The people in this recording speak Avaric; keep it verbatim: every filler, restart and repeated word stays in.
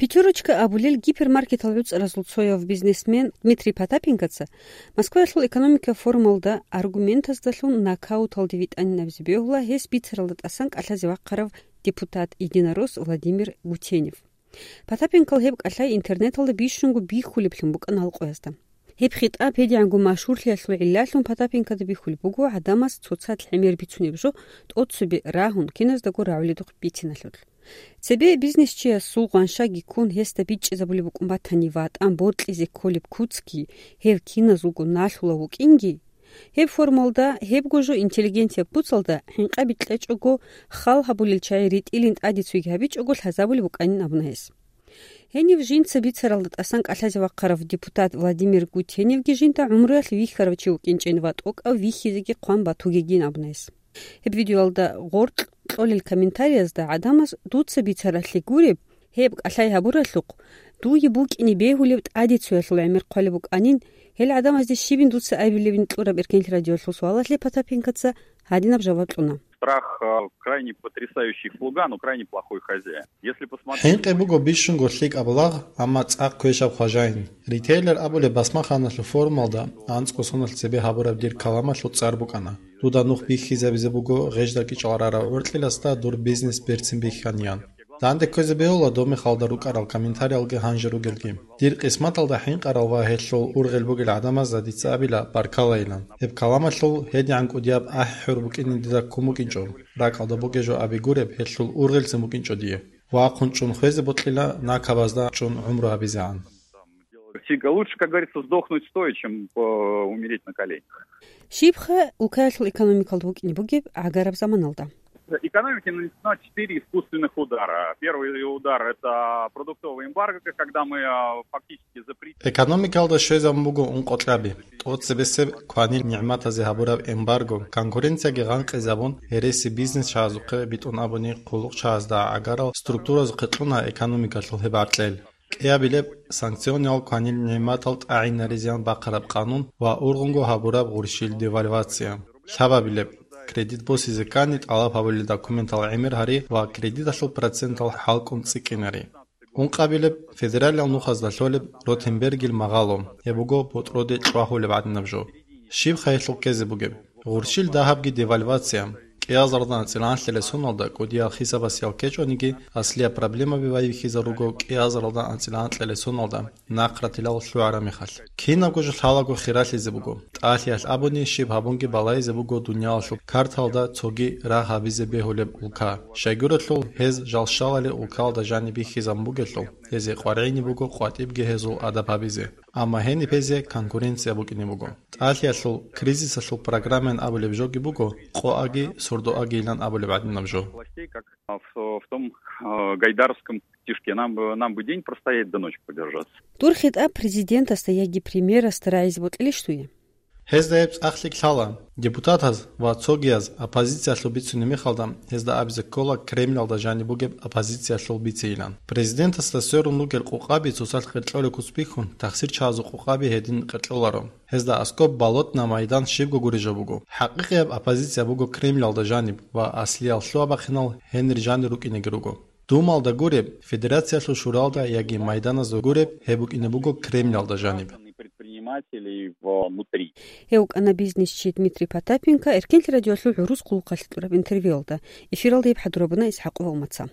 «Пятерочка» абулел гипермаркетал гӀуцӀаразул цояв бизнесмен Дмитрий Потапенкоца Москваялъул экономика форумалда аргументаздалъун нокауталде витӀанин абизе бегьула гьес бицаралда тӀасан кӀалъазе вахъарав депутат-единорос Владимир Гутенев. Потапенкол гьеб кӀалъай интернеталда бищунго бихьулеблъун букӀана гьал къоязда. Гьеб хитӀаб гьедигӀанго машгьурлъиялъул гӀиллалъун Потапенкода бихьулеб буго гӀадамаз цоцазда гӀемер бицунеб жо тӀоцебе рагьун, киназдаго рагӀуледухъ бициналъул. Цебе бизнесчиясул гъаншаги ккун гьесда бичӀчӀизабулеб букӀун батани, ватӀан бокьизе кколеб куцги гьев киназулго налъулев вукӀинги, гьеб форумалда, гьебго жо интеллигенцияб куцалда хӀинкъаби кьечӀого, хал гьабулел чагӀи ритӀилин тӀаде цойги гьабичӀого лъазабулеб букӀанин абуна гьес. Гьенив жинца бицаралда тӀасан кӀалъазе вахъарав депутат Владимир Гутеневги жинда гӀумруялъ вихьарав чи вукӀинчӀин ва тӀокӀав вихьизеги хъван батугейин абуна гьес. Гьеб видеоялда гъоркь кьолел комментариязда гӀадамаз дуца бицаралъе гуреб, гьеб кӀалъай гьабуралъухъ, дуе букӀине бегьулеб тӀаде цоялъул гӀемер хъвалеб букӀанин, гьел гӀадамазде щибин дуца абилебин кьураб Эркенлъи радиоялъул суалалъе Потапенкоца гьадинаб жаваб кьуна. Страх, э, крайне потрясающий слуга, но крайне плохой хозяин. Если посмотреть... ХӀинкъи буго бищунго лъикӀаб лагъ, амма цӀакъ квешаб хважаин. Ритейлер абулеб басмаханалъул форумалда анцӀго соналъ цебе гьабураб дир каламалъул цӀар букӀана: «Дуда нух бихьизабизе буго гъежда кӀичӀал рарав гӀоркьиласда дур бизнес берцин бихьаниян». Данде кквезе бегьула доб мехалда рукӀарал комментариялги гьанже ругелги. Дир къисматалда хӀинкъарал ва гьелъул ургъел бугел гӀадамазда дица абила баркалайилан. Гьеб каламалъул гьедигӀан кӀудияб ахӀи-хӀур букӀине дида ккун букӀинчӀо. РакӀалда бугеб жо аби гуреб, гьелъул ургъелцин букӀинчӀо дие. Вахъун чӀун хвезе бокьила, накабазда чӀун гӀумру гьабизегӀан. Всегда лучше, как говорится, сдохнуть стоя, чем, э, умереть на коленях. Щибха улкаялъул экономикалда букӀине бугеб гӀагараб заманалда? Экономике нанесено четыре искусственных удара. Первый удар — это продуктовый эмбарго, когда мы, э, фактически запретили... Экономикалда щвезабун буго ункъо кьаби. ТӀоцебесеб кванил нигӀматазе гьабураб эмбарго, конкуренцияги гъанкъизабун, гьереси бизнесчагӀазухъе, битӀун абуни, хъулухъчагӀазда гӀагарал структуразухъе кьуна экономикалъул гьеб гӀаркьел. КӀиабилеб, санкциониял кванил нигӀматал тӀагӀинаризеян бахъараб къанун ва ургъунго гьабураб гъурщил девальвация. Лъабабилеб, кредит босизе ккани тӀалаб гьабулел документал гӀемер гьари ва кредиталъул процентал хӀалкӀун цӀикӀкӀинари. Ункъабилеб, федералиял нухазда лъолеб Ротенбергил магъало, гьеб буго ботӀроде чӀвагьулеб гӀадинаб жо. Щибха гьелъул ккезе бугеб? Гъурщил дагьабги девальвация. КӀиазаралда анцӀила анлъилел соналда кӀудиял хисабасиял ккечӀониги, аслияб проблемаби байбихьизаруго кӀиазаралда анцӀила анлъилел соналда нахъратилал лъугӀараб мехалъ. Кинабго жо лъалаго хиралъизе буго. ТӀалъиялъ абуни, щиб гьабунги балайзе буго дуниялалъул карталда цоги рагъ гьабизе бегьулеб улка. Щайгурелъул, гьез жал щалали улкалда жаниб бихьизабун бугелъул, гьезие къваригӀине буго къватӀибги гьезул адаб гьабизе. Амма гьениб гьезие конкуренция букӀине буго. ТӀалъиялъул кризисалъул программаян абулеб жоги буго, къоаги, сордоагийилан абулеб гӀадинаб жо. Властей, как в, в том, э, гайдаровском стишке: «Нам бы, нам бы день простоять, да ночь продержаться». Дур хитӀаб президентасда яги премьерасда рагӀизе бокьилищ дуе? Гьезда гьеб цӀакъ лъикӀ лъала. Депутатаз ва цогияз оппозициялъул бицунеб мехалда, гьезда абизе ккола Кремльалда жаниб бугеб оппозициялъул бицейилан. Президентасда сверун ругел къокъаби цоцалъ къеркьолеб куц бихьун, тахсирчагӀазул къокъаби гьедин къеркьоларо. Гьезда аскӀоб болотный майдан щибго гуреб жо буго. ХӀакъикъияб оппозиция буго Кремльалда жаниб ва аслиял лъугьа-бахъинал гьенир жанир рукӀинеги руго. Думалда гуреб, Федерациялъул шуралда яги майданазда гуреб, гьеб букӀине буго Кремльалда жаниб. Предпринимателей внутри. Гьев вукӀана бизнесчи Дмитрий Потапенко Эркенлъи радиоялъул гӀурус хъулухъалъе кьураб интервьюялда. Эфиралда гьеб хӀадурабуна ИсхӀакъова Умаца.